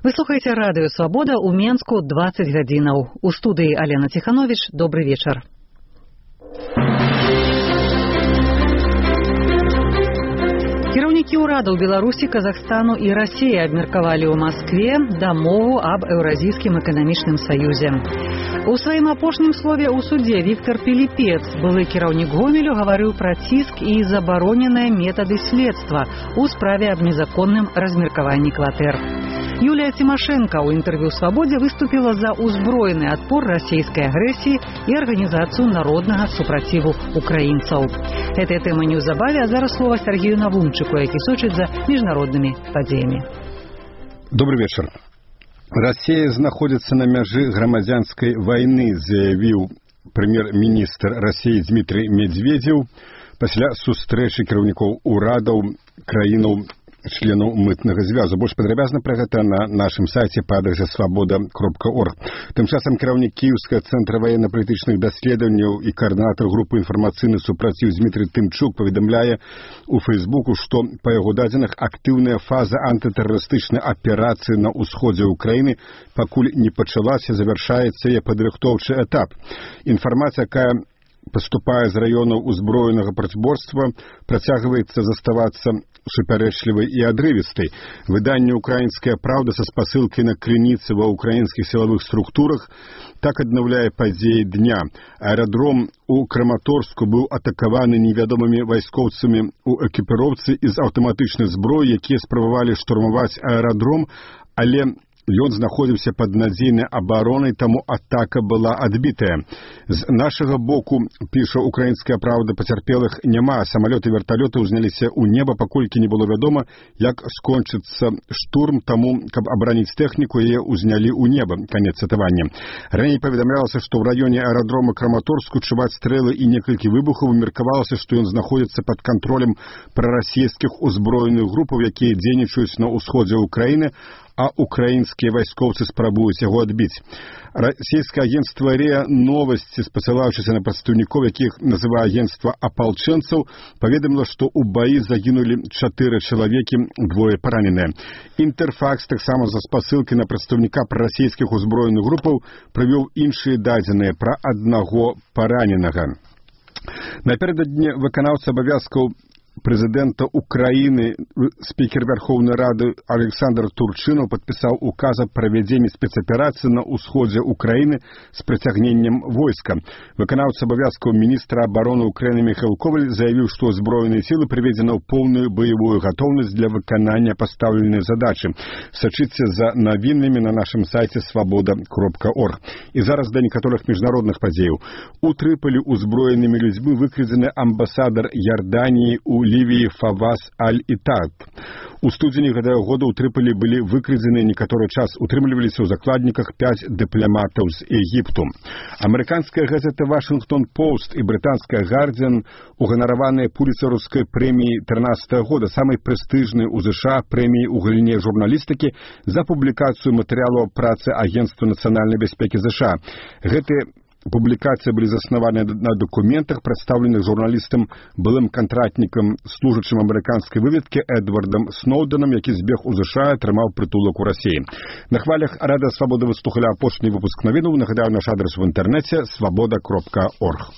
Вы слухаеце радыё «Свабода» ў Менску 20 гадзінаў. У студыі Алена Ціхановіч. Добры вечар. Кіраўнікі ўрадаў Беларусі, Казахстану і Расіі абмеркавалі ў Маскве дамову аб Еўразійскім эканамічным саюзе. У сваім апошнім слове ў судзе Віктор Піліпец, былы кіраўнік Гомелю, гаварыў пра ціск і забароненыя метады следства ў справе аб незаконным размеркаванні кватэр. Юлія Тимошенко ў інтэрв'ю «Свабодзе» выступіла за ўзброены адпор расійскай агрэсіі і арганізацыю народнага супраціву украінцаў. Гэтая тэма неўзабаве, а зараз слова Сергею Навумчыку, які сочыць за міжнароднымі падзеямі. Добрый вечер. Россия знаходзіцца на мяжы грамадзянскай вайны, заявіў прэм'ер-міністр России Дмитрий Медведев пасля сустрэчы кіраўнікоў урадаў краінаў членаў мытнага звязу. Больш падрабязна пра гэта на нашым сайце па адрасе свабода.орг. Тым часам кіраўнік Кіеўскага цэнтра ваенна-палітычных даследаванняў і каардынатар групы інфармацыйны супраціў Дмітрий Тымчук паведамляе у Фейсбуку, што па яго дадзеных актыўная фаза антытэрарыстычнай аперацыі на ўсходзе ўкраіны пакуль не пачалася, завяршаецца яе падрыхтоўчы этап. Інфармацыя, якая паступае з раёнаў узброенага працаборства, працягваецца заставацца супярэчлівай і адрывістай. Выданне «Украінская праўда» са спасылкай на крыніцы ва ўкраінскіх сілавых структурах так аднаўляе падзеі дня. Аэрадром у Краматорску быў атакаваны невядомымі вайскоўцамі ў экіпіроўцы з аўтаматычнай зброі, якія спрабавалі штурмаваць аэрадром, але ён знаходзіўся пад надзейнай абаронай, таму атака была адбітая. З нашага боку, піша «Украінская праўда», пацярпелых няма. Самалёты і верталёты ўзняліся ў неба, паколькі не было вядома, як скончыцца штурм, таму, каб абараніць тэхніку, яе ўзнялі ў неба. Канец цытавання. Раней паведамлялася, што ў раёне аэрадрома Краматорску чуваць стрэлы і некалькі выбухаў. Меркавалася, што ён знаходзіцца пад кантролем прарасійскіх узброеных групаў, якія дзейнічаюць на ўсходзе ўкраіны, а украінскія вайскоўцы спрабуюць яго адбіць. Расійскае агенцтва РИА Новости, спасылаючыся на прадстаўнікоў, якіх называе агенцтва апалчэнцаў, паведаміла, што ў баі загінулі 4 чалавекі, 2 параненыя. Інтэрфакс таксама за спасылкай на прадстаўніка прарасійскіх узброеных групаў прывёў іншыя дадзеныя пра аднаго параненага. Напярэдадні выканаўца абавязкаў Президента Украины, спикер Верховной Рады Александр Турчинов подписал указ о проведении спецоперации на усходе Украины с притягнением войска. Выконавец обовязков министра обороны Украины Михаил Коваль заявил, что Збройные силы приведены в полную боевую готовность для выполнения поставленной задачи. Сочиться за новинами на нашем сайте свобода.орг. И зараз до некоторых международных подеев. У Триполи узброенными людьми выкрадены амбассадор Иордании у Ливии Фавас Аль-Итад. У студзені гэтага года ў Трыполі былі выкрадзены некаторы час, утрымліваліся ў закладніках 5 дыпламатаў з Егіпту. Амерыканская газета «Вашингтон Пост» і брытанская «Гардиан» уганараваныя пуліцэраўскай прэміяй 13 года, самай прэстыжнай у США прэміяй у галіне журналістыкі за публікацыю матэрыялаў працы Агентства нацыянальнай бяспекі США. Гэтыя публікацыі былі заснаваны на дакументах, прадстаўленых журналістам, былым кантрактнікам, служачым амерыканскай выведкі Эдвардам Сноўденам, які збег у США, атрымаў прытулак у Расіі. На хвалях Радыё Свабода вы слухалі апошні выпуск навінаў. Нагадаю, наш адрес в інтэрнэце свабода.орг.